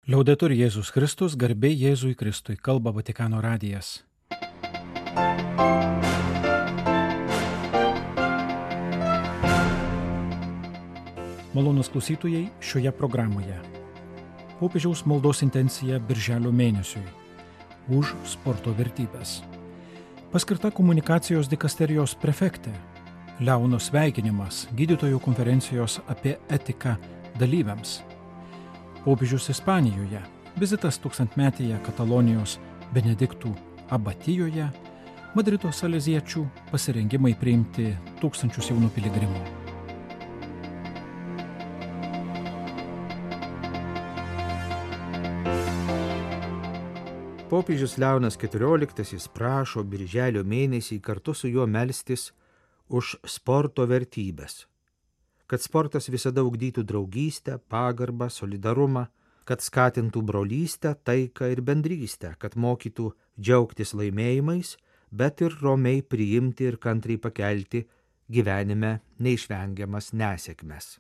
Liaudetur Jėzus Kristus, garbė Jėzui Kristui, kalba Vatikano radijas. Malonūs klausytojai, šioje programoje popiežiaus maldos intencija birželio mėnesiui už sporto vertybės. Paskirta komunikacijos dikasterijos prefektė, Leono sveikinimas gydytojų konferencijos apie etiką dalyviams. Popiežius Ispanijoje, vizitas tūkstantmetėje Katalonijos Benediktų abatijoje, Madrido saleziečių pasirengimai priimti tūkstančius jaunų piligrimų. Popiežius Leonas XIV prašo birželio mėnesį kartu su juo melstis už sporto vertybės. Kad sportas visada ugdytų draugystę, pagarbą, solidarumą, kad skatintų brolystę, taiką ir bendrystę, kad mokytų džiaugtis laimėjimais, bet ir romiai priimti ir kantriai pakelti gyvenime neišvengiamas nesėkmes.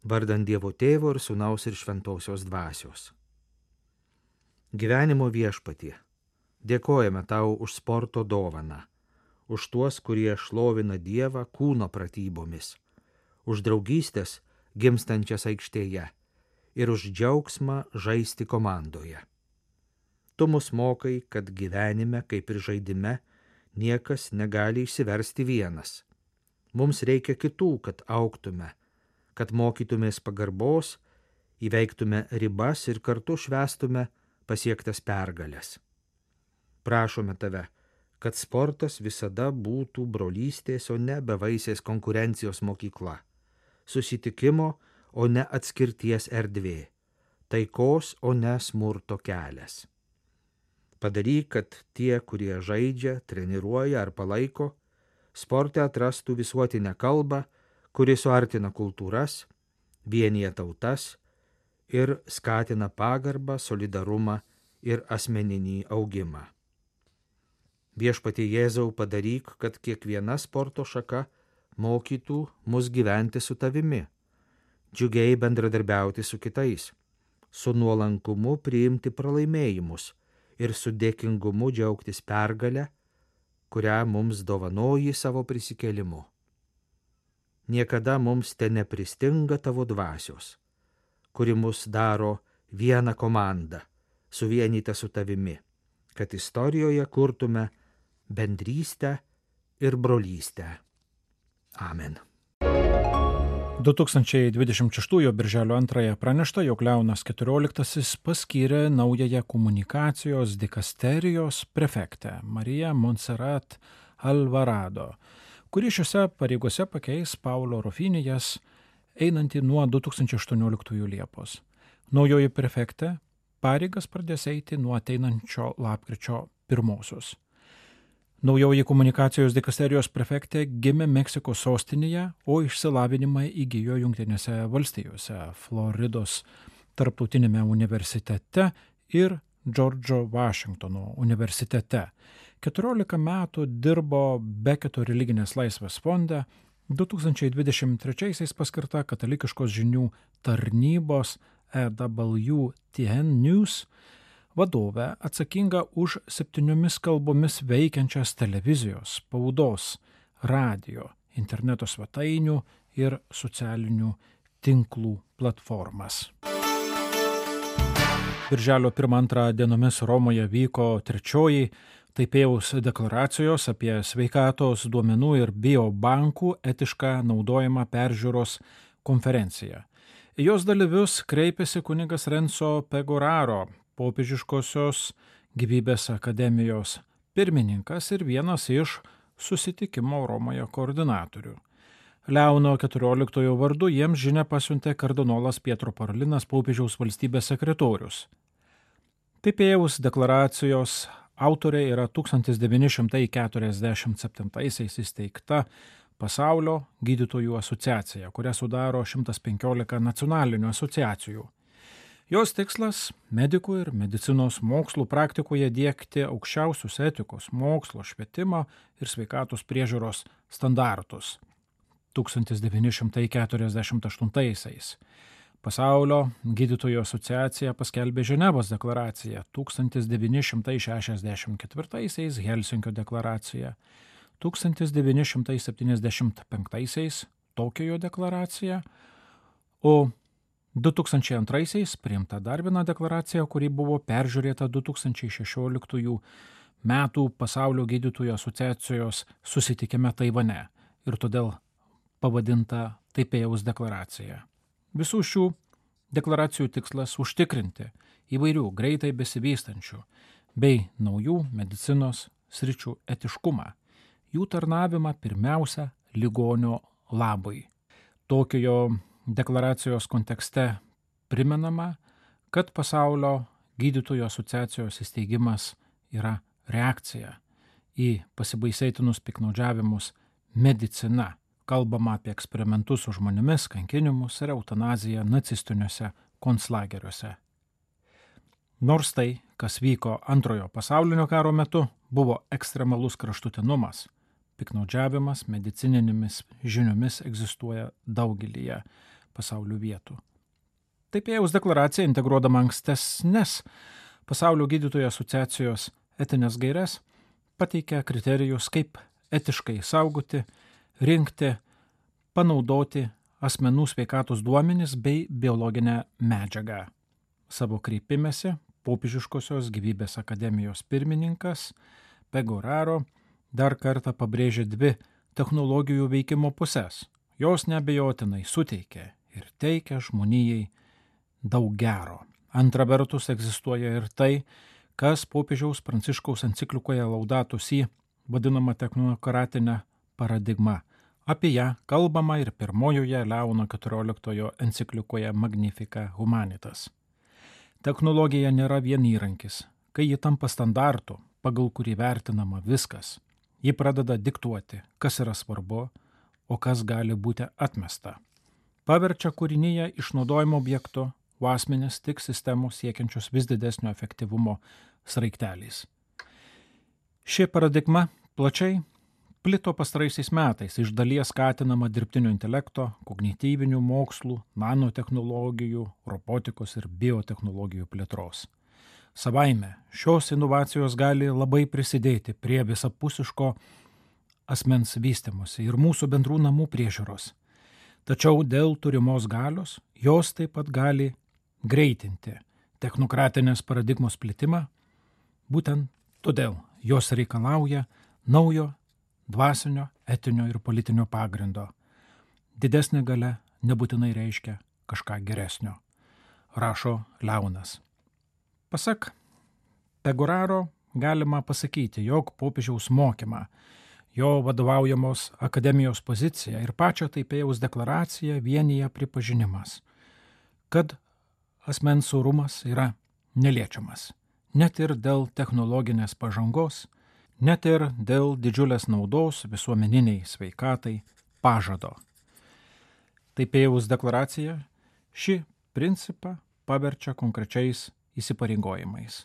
Vardan Dievo Tėvo ir Sūnaus ir Šventosios Dvasios. Gyvenimo Viešpatie, dėkojame Tau už sporto dovaną, už tuos, kurie šlovina Dievą kūno pratybomis, už draugystės gimstančias aikštėje ir už džiaugsmą žaisti komandoje. Tu mus mokai, kad gyvenime, kaip ir žaidime, niekas negali išsiversti vienas. Mums reikia kitų, kad augtume, kad mokytumės pagarbos, įveiktume ribas ir kartu švęstume pasiektas pergales. Prašome Tave, kad sportas visada būtų brolystės, o ne bevaisės konkurencijos mokykla, susitikimo, o ne atskirties erdvė, taikos, o ne smurto kelias. Padaryk, kad tie, kurie žaidžia, treniruoja ar palaiko, sporte atrastų visuotinę kalbą, kuri suartina kultūras, vienija tautas ir skatina pagarbą, solidarumą ir asmeninį augimą. Viešpatie Jėzau, padaryk, kad kiekviena sporto šaka mokytų mus gyventi su Tavimi, džiugiai bendradarbiauti su kitais, su nuolankumu priimti pralaimėjimus ir su dėkingumu džiaugtis pergalę, kurią mums dovanoji savo prisikėlimu. Niekada mums nepristinga Tavo dvasios, kuri mus daro vieną komandą, suvienytą su Tavimi, kad istorijoje kurtume bendrystę ir brolystę. Amen. 2026 birželio 2 pranešta, jog Leonas XIV paskyrė naująją komunikacijos dikasterijos prefektę Mariją Montserrat Alvarado, kuri šiose pareigose pakeis Paulo Rufinijas, einantį nuo 2018 Liepos. Naujoji prefektė pareigas pradės eiti nuo ateinančio lapkričio 1. Naujoji komunikacijos dikasterijos prefektė gimė Meksikos sostinėje, o išsilavinimą įgijo Jungtinėse valstijose, Floridos tarptautinėme universitete ir Džordžo Vašingtono universitete. 14 metų dirbo Beketo religinės laisvės fonde, 2023 paskirta katalikiškos žinių tarnybos EWTN News vadovė, atsakinga už 7 kalbomis veikiančias televizijos, spaudos, radio, interneto svetainių ir socialinių tinklų platformas. Birželio 1-2 dienomis Romoje vyko 3. Taipėjaus deklaracijos apie sveikatos duomenų ir biobankų etišką naudojimą peržiūros konferencija. Į jos dalyvius kreipėsi kunigas Renzo Pegoraro, Popiežiškosios gyvybės akademijos pirmininkas ir vienas iš susitikimo Romoje koordinatorių. Leono XIV vardu jiems žinią pasiuntė kardinolas Pietro Parolinas, popiežiaus valstybės sekretorius. Taipėjaus deklaracijos autorė yra 1947 įsteigta Pasaulio gydytojų asociacija, kurią sudaro 115 nacionalinių asociacijų. Jos tikslas – medikų ir medicinos mokslų praktikoje diegti aukščiausius etikos, mokslo, švietimo ir sveikatos priežiūros standartus. 1948 Pasaulio gydytojų asociacija paskelbė Ženevos deklaraciją 1964, Helsinkio deklaraciją 1975, Tokijo deklaraciją, o 2002 priimta dar viena deklaracija, kuri buvo peržiūrėta 2016 metų Pasaulio gydytojų asociacijos susitikime Taivane ir todėl pavadinta Taipėjaus deklaracija. Visų šių deklaracijų tikslas užtikrinti įvairių greitai besivystančių bei naujų medicinos sričių etiškumą, jų tarnavimą pirmiausia ligonio labui. Tokijo deklaracijos kontekste primenama, kad Pasaulio gydytojų asociacijos įsteigimas yra reakcija į pasibaisėtinus piktnaudžiavimus medicina. Kalbama apie eksperimentus su žmonėmis, kankinimus ir eutanaziją nacistiniuose konclageriuose. Nors tai, kas vyko Antrojo pasaulinio karo metu, buvo ekstremalus kraštutinumas, piktnaudžiavimas medicininėmis žiniomis egzistuoja daugelyje pasaulio vietų. Taipėjaus deklaracija, integruodama ankstesnes Pasaulio gydytojų asociacijos etinės gaires, pateikia kriterijus, kaip etiškai saugoti, rinkti, panaudoti asmenų sveikatos duomenis bei biologinę medžiagą. Savo kreipimesi Popiežiškosios gyvybės akademijos pirmininkas Pegoraro dar kartą pabrėžė dvi technologijų veikimo pusės. Jos neabejotinai suteikia ir teikia žmonijai daug gero. Antra vertus egzistuoja ir tai, kas popiežiaus Pranciškaus enciklikoje Laudato Si vadinama technokratinė paradigma. Apie ją kalbama ir pirmojoje Leono XIV enciklikoje Magnificat Humanitas. Technologija nėra vien įrankis, kai ji tampa standartu, pagal kurį vertinama viskas. Ji pradeda diktuoti, kas yra svarbu, o kas gali būti atmesta. Paverčia kūrinyje išnaudojimo objektu, o asmenis tik sistemų siekiančios vis didesnio efektyvumo sraigteliais. Ši paradigma plačiai plito pastaraisiais metais, iš dalies skatinama dirbtinio intelekto, kognityvinių mokslų, nanotechnologijų, robotikos ir biotechnologijų plėtros. Savaime šios inovacijos gali labai prisidėti prie visapusiško asmens vystymosi ir mūsų bendrų namų priežiūros. Tačiau dėl turimos galios jos taip pat gali greitinti technokratinės paradigmos plitimą, būtent todėl jos reikalauja naujo dvasinio, etinio ir politinio pagrindo. Didesnė galia nebūtinai reiškia kažką geresnio, rašo Leonas. Pasak Pegoraro galima pasakyti, jog popiežiaus mokymą, jo vadovaujamos akademijos poziciją ir pačią Taipėjaus deklaraciją vienyje pripažinimas, kad asmens orumas yra neliečiamas, net ir dėl technologinės pažangos, net ir dėl didžiulės naudos visuomeniniai sveikatai pažado. Taipėjaus deklaracija šį principą paverčia konkrečiais įsipareigojimais.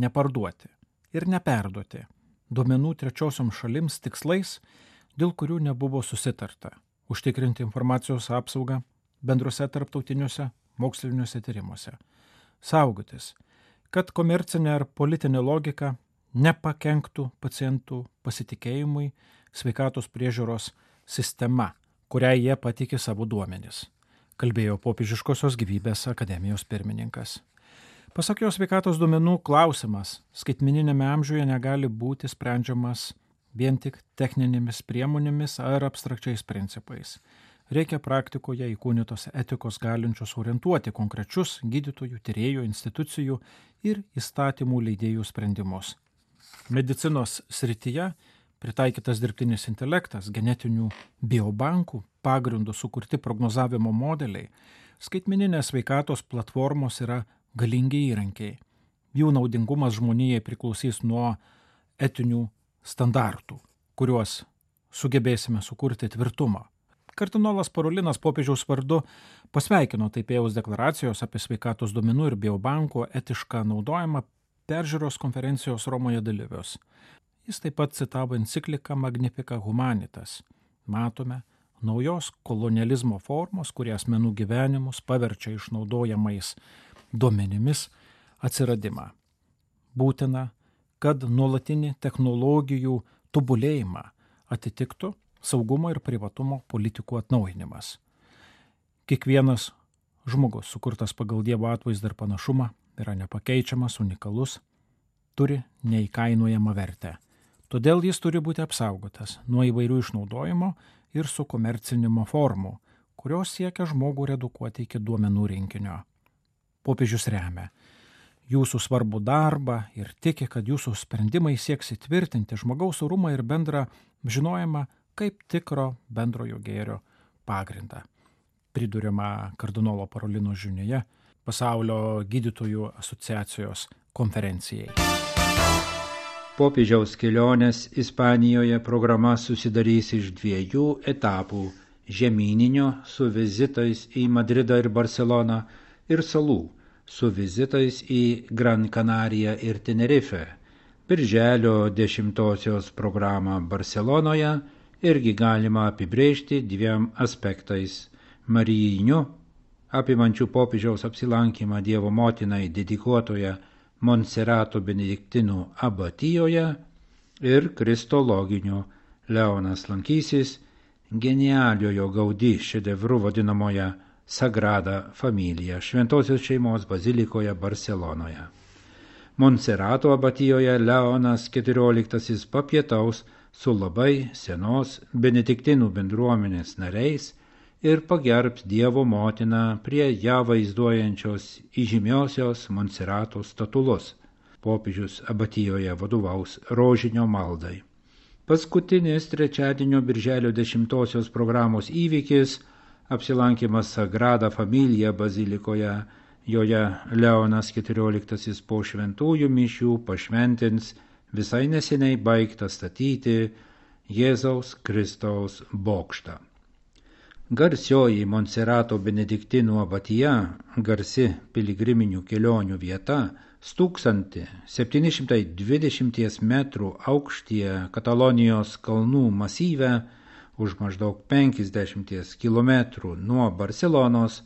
Neparduoti ir neperduoti duomenų trečiosiom šalims tikslais, dėl kurių nebuvo susitarta, užtikrinti informacijos apsaugą bendruose tarptautiniuose moksliniuose tyrimuose, saugotis, kad komercinė ar politinė logika nepakenktų pacientų pasitikėjimui sveikatos priežiūros sistema, kuriai jie patikė savo duomenis, kalbėjo Popiežiškosios gyvybės akademijos pirmininkas. Pasak jo, sveikatos duomenų klausimas skaitmeninėme amžiuje negali būti sprendžiamas vien tik techninėmis priemonėmis ar abstrakčiais principais. Reikia praktikoje įkūnytos etikos galinčios orientuoti konkrečius gydytojų, tyrėjų, institucijų ir įstatymų leidėjų sprendimus. Medicinos srityje pritaikytas dirbtinis intelektas, genetinių biobankų pagrindų sukurti prognozavimo modeliai, skaitmeninės sveikatos platformos yra galingi įrankiai. Jų naudingumas žmonijai priklausys nuo etinių standartų, kuriuos sugebėsime sukurti tvirtumą. Kardinolas Parolinas popiežiaus vardu pasveikino Taipėjaus deklaracijos apie sveikatos duomenų ir biobankų etišką naudojimą peržiūros konferencijos Romoje dalyvius. Jis taip pat citavo encikliką Magnificat Humanitas. Matome, naujos kolonializmo formos, kurie asmenų gyvenimus paverčia išnaudojamais duomenimis atsiradimą. Būtina, kad nuolatinį technologijų tobulėjimą atitiktų saugumo ir privatumo politikų atnaujinimas. Kiekvienas žmogus, sukurtas pagal Dievo atvaizdą ir panašumą, yra nepakeičiamas, unikalus, turi neįkainojamą vertę. Todėl jis turi būti apsaugotas nuo įvairių išnaudojimo ir sukomercinimo formų, kurios siekia žmogų redukuoti iki duomenų rinkinio. Popiežius remia jūsų svarbų darbą ir tiki, kad jūsų sprendimai sieks įtvirtinti žmogaus orumą ir bendrą žinojimą kaip tikro bendrojo gėrio pagrindą. Priduriama kardinolo Parolino žinioje Pasaulio gydytojų asociacijos konferencijai. Popiežiaus kelionės Ispanijoje programa susidarys iš 2 etapų – žemyninio su vizitais į Madridą ir Barceloną ir salų su vizitais į Gran Canariją ir Tenerife. Birželio 10-osios programą Barcelonoje irgi galima apibrėžti 2 aspektais – marijiniu, apimančių popiežiaus apsilankymą Dievo motinai dedikuotoje Monserato benediktinų abatijoje, ir kristologiniu. Leonas lankysis genialiojo Gaudí šedevru vadinamoje Sagrada Familia Šventosios šeimos bazilikoje Barcelonoje. Monserato abatijoje Leonas XIV papietaus su labai senos benediktinų bendruomenės nariais ir pagerbs Dievo motiną prie ją vaizduojančios įžymiosios Monserato statulos. Popiežius abatijoje vadovaus rožinio maldai. Paskutinis trečiadienio birželio 10-osios programos įvykis – apsilankymas Sagrada Familia bazilikoje. Joje Leonas XIV po šventųjų mišių pašventins visai neseniai baigtą statyti Jėzaus Kristaus bokštą. Garsioji Monserato benediktinų abatija, garsi piligriminių kelionių vieta, 1720 metrų aukštyje Katalonijos kalnų masyve, už maždaug 50 kilometrų nuo Barcelonos,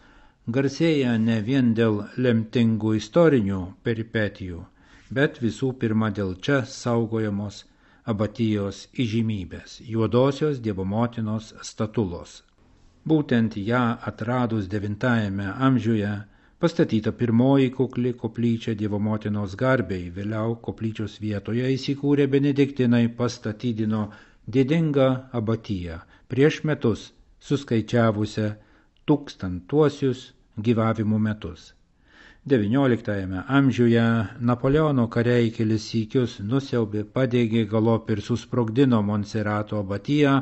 garsėja ne vien dėl lemtingų istorinių peripetijų, bet visų pirma dėl čia saugojamos abatijos įžymybės – Juodosios Dievo motinos statulos. Būtent ją atradus 9 amžiuje pastatyta pirmoji kukli koplyčia Dievo motinos garbei, vėliau koplyčios vietoje įsikūrė benediktinai pastatydino didingą abatiją, prieš metus suskaičiavusią 1000 gyvavimo metus. 19 amžiuje Napoleono kariai kelis sykius nusiaubė, padegė, galop ir susprogdino Monserato abatiją,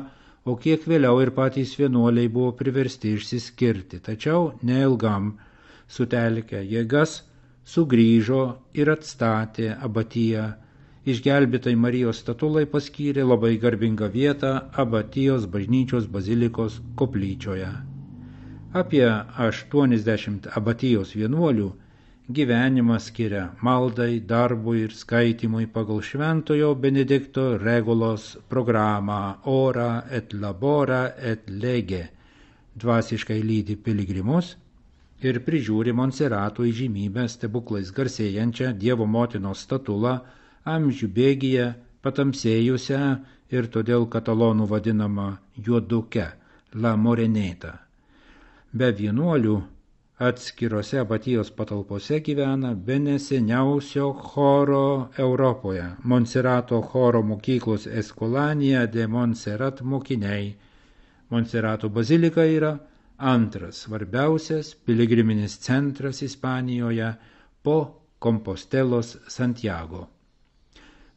o kiek vėliau ir patys vienuoliai buvo priversti išsiskirti, tačiau neilgam sutelkę jėgas sugrįžo ir atstatė abatiją. Išgelbėtai Marijos statulai paskyrė labai garbingą vietą abatijos bažnyčios bazilikos koplyčioje. Apie 80 abatijos vienuolių gyvenimą skiria maldai, darbui ir skaitymui pagal šventojo Benedikto Regulos programą Ora et labora et lege. Dvasiškai lydi piligrimus ir prižiūri Monserato įžymybę stebuklais garsėjančią Dievo motinos statulą, amžių bėgyje patamsėjusią ir todėl katalonų vadinama juoduke, La Moreneta. Be vienuolių atskirose abatijos patalpose gyvena bene seniausio choro Europoje, Monserato choro mokyklos Escolania de Montserrat mokiniai. Monserato bazilika yra antras svarbiausias piligriminis centras Ispanijoje po Kompostelos Santiago.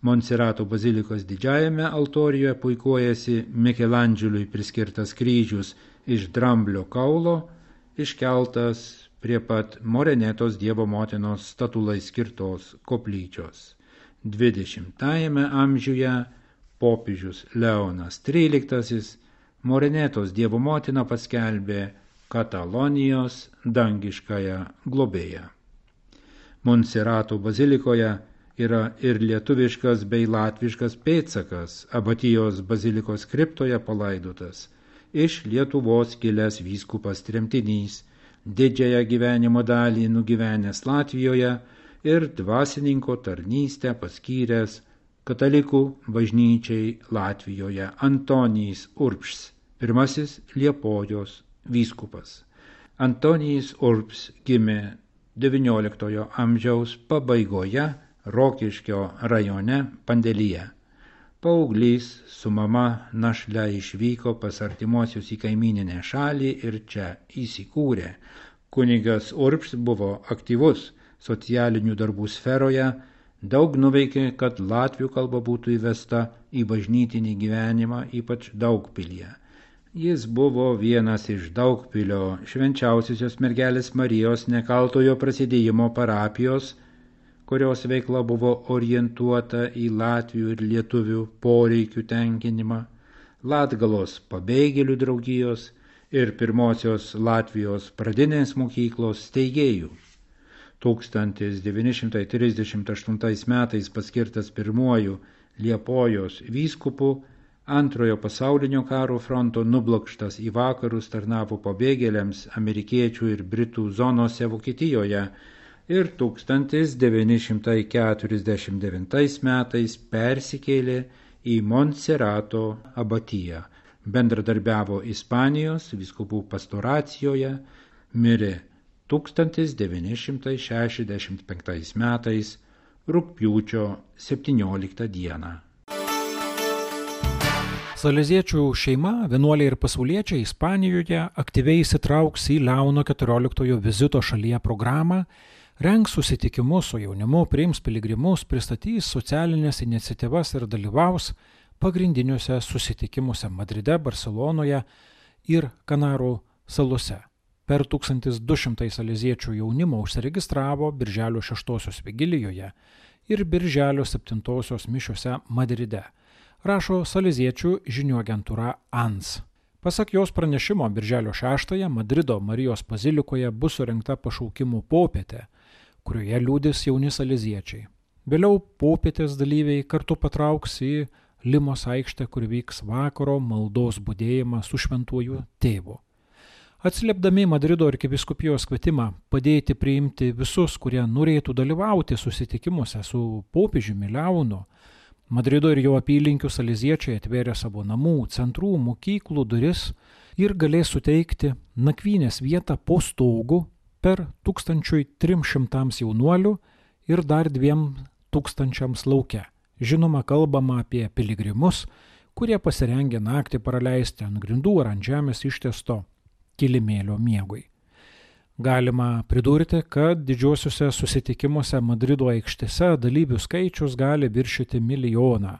Monserato bazilikos didžiajame altorijoje puikuojasi Mikelandželiui priskirtas kryžius iš dramblio kaulo, iškeltas prie pat Morenetos Dievo motinos statulai skirtos koplyčios. 20 amžiuje popiežius Leonas XIII Morenetos Dievo motiną paskelbė Katalonijos dangiškąją globėją. Monserato bazilikoje yra ir lietuviškas bei latviškas pėdsakas, abatijos bazilikos kriptoje palaidotas iš Lietuvos kilęs vyskupas tremtinys, didžiąją gyvenimo dalį nugyvenęs Latvijoje ir dvasininko tarnystę paskyręs katalikų bažnyčiai Latvijoje Antonijus Urbšs, pirmasis Liepojos vyskupas. Antonijus Urbšs gimė XIX amžiaus pabaigoje Rokiškio rajone Pandelyje. Paauglys su mama našle išvyko pas artimuosius į kaimyninę šalį ir čia įsikūrė. Kunigas Urbšs buvo aktyvus socialinių darbų sferoje, daug nuveikė, kad latvių kalba būtų įvesta į bažnytinį gyvenimą, ypač Daugpilyje. Jis buvo vienas iš Daugpilio Švenčiausiosios mergelės Marijos Nekaltojo Prasidėjimo parapijos, kurios veikla buvo orientuota į latvių ir lietuvių poreikių tenkinimą, Latgalos pabėgėlių draugijos ir pirmosios Latvijos pradinės mokyklos steigėjų. 1938 metais paskirtas pirmuoju Liepojos vyskupu, Antrojo pasaulinio karo fronto nublokštas į vakarus tarnavo pabėgėliams amerikiečių ir britų zonose Vokietijoje ir 1949 metais persikėlė į Montserato abatiją, bendradarbiavo Ispanijos vyskupų pastoracijoje, mirė 1965 metais rugpjūčio 17 dieną. Saleziečių šeima, vienuoliai ir pasauliečiai Ispanijoje aktyviai įsitrauks į Leono XIV vizito šalyje programą, rengs susitikimus su jaunimu, priims piligrimus, pristatys socialinės iniciatyvas ir dalyvaus pagrindiniuose susitikimuose Madride, Barselonoje ir Kanarų salose. Per 1200 saleziečių jaunimo užsiregistravo Birželio 6 vigilijoje ir Birželio 7 mišiose Madride, rašo saleziečių žinių agentūra ANS. Pasak jos pranešimo, Birželio 6 Madrido Marijos bazilikoje bus surengta pašaukimų popietė, kurioje liudys jauni saleziečiai. Vėliau popietės dalyviai kartu patrauks į Limos aikštę, kur vyks vakaro maldos budėjimas su šventuoju tėvu. Atsiliepdami Madrido arkivyskupijos kvietimą padėti priimti visus, kurie norėtų dalyvauti susitikimuose su popiežiumi Leonu, Madrido ir jo apylinkių saleziečiai atvėrė savo namų, centrų, mokyklų duris ir galės suteikti nakvynės vietą po stogu per 1300 jaunuolių ir dar 2000 lauke. Žinoma, kalbama apie piligrimus, kurie pasirengė naktį praleisti ant grindų ar ant žemės ištiesto kilimėlio miegui. Galima pridurti, kad didžiuosiuose susitikimuose Madrido aikštėse dalyvių skaičius gali viršyti 1 milijoną.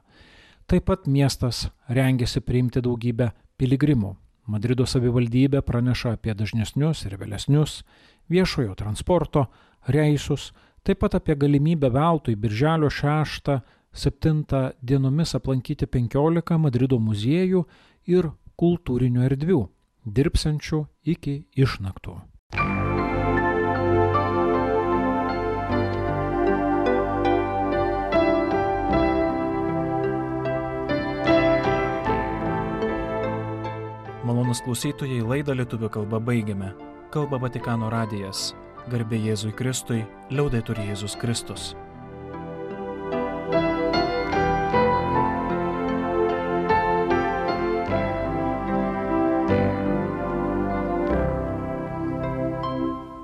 Taip pat miestas rengiasi priimti daugybę piligrimų. Madrido savivaldybė praneša apie dažnesnius ir vėlesnius viešojo transporto reisus, taip pat apie galimybę veltui Birželio 6-7 dienomis aplankyti 15 Madrido muziejų ir kultūrinių erdvių, dirbsiančių iki išnaktų. Malonūs klausytojai, laidą lietuvių kalba baigiame. Kalba Vatikano radijas. Garbė Jėzui Kristui, liaudetur Jėzus Kristus.